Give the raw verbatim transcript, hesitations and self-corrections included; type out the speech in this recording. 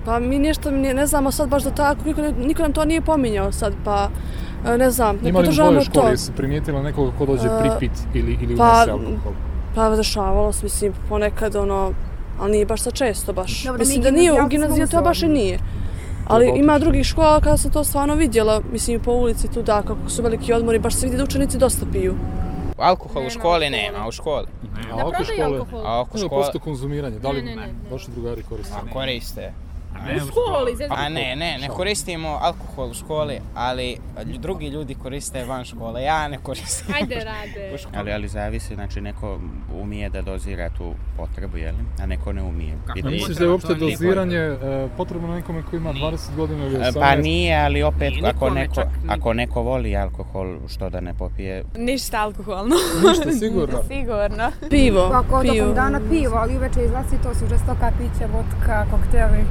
Pa mi nešto ne, ne znamo sad baš da tako, niko, niko nam to nije pominjao sad, pa ne znam, ne podržavamo to. Ima li u tvojoj školi, jesi primijetila nekoga ko dođe pripit ili, ili pa, unese alkohol? Pa dešavalo se, mislim, ponekad ono, ali nije baš sad često baš. Dobre, mislim da nije, u gimnaziji to baš i nije. Ali ima drugih škola kada sam to stvarno vidjela, mislim po ulici tu da, kako su veliki odmori, baš se vidi da učenici dosta piju. Alkohol u školi nema, u školi. A oko škole? A oko škole? Posto konzumiranje, da li vaši drugari koriste? A koriste. U školi? A ne, ne, ne koristimo alkohol u školi, ali drugi ljudi koriste van škole, ja ne koristim. Ajde rade. Ali, ali zavisi, znači neko umije da dozira tu potrebu, jel? A neko ne umije. A misliš da je uopšte doziranje potrebno na nekome koji ima dvadeset godina ili osamnaest? Pa nije, ali opet ako neko, ako neko voli alkohol, što da ne popije? Ništa alkoholno. Ništa, sigurno? Sigurno. Pivo, Ako pivo. tokom dana pivo, ali uveče izlazi to su žestoka pića, vodka, kokteli.